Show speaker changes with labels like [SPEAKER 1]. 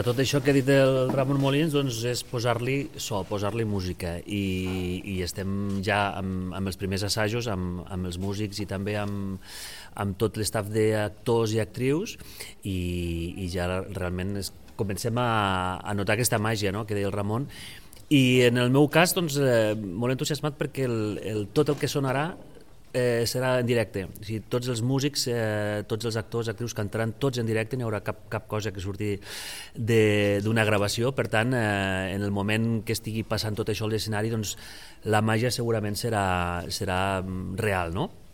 [SPEAKER 1] Tot això que ha dit el Ramon Molins doncs, és posar-li so, posar-li música i estem ja amb els primers assajos, amb els músics i també amb tot l'estaf d'actors i actrius i ja realment comencem a notar aquesta màgia, no?, que deia el Ramon. I en el meu cas, doncs, molt entusiasmat perquè tot el que sonarà serà en directe. O sigui, tots els músics, tots els actors, actrius cantaran tots en directe, no hi haurà cap cosa que surti d'una gravació. Per tant, en el moment que estigui passant tot això a l'escenari, doncs, la màgia segurament serà real, no?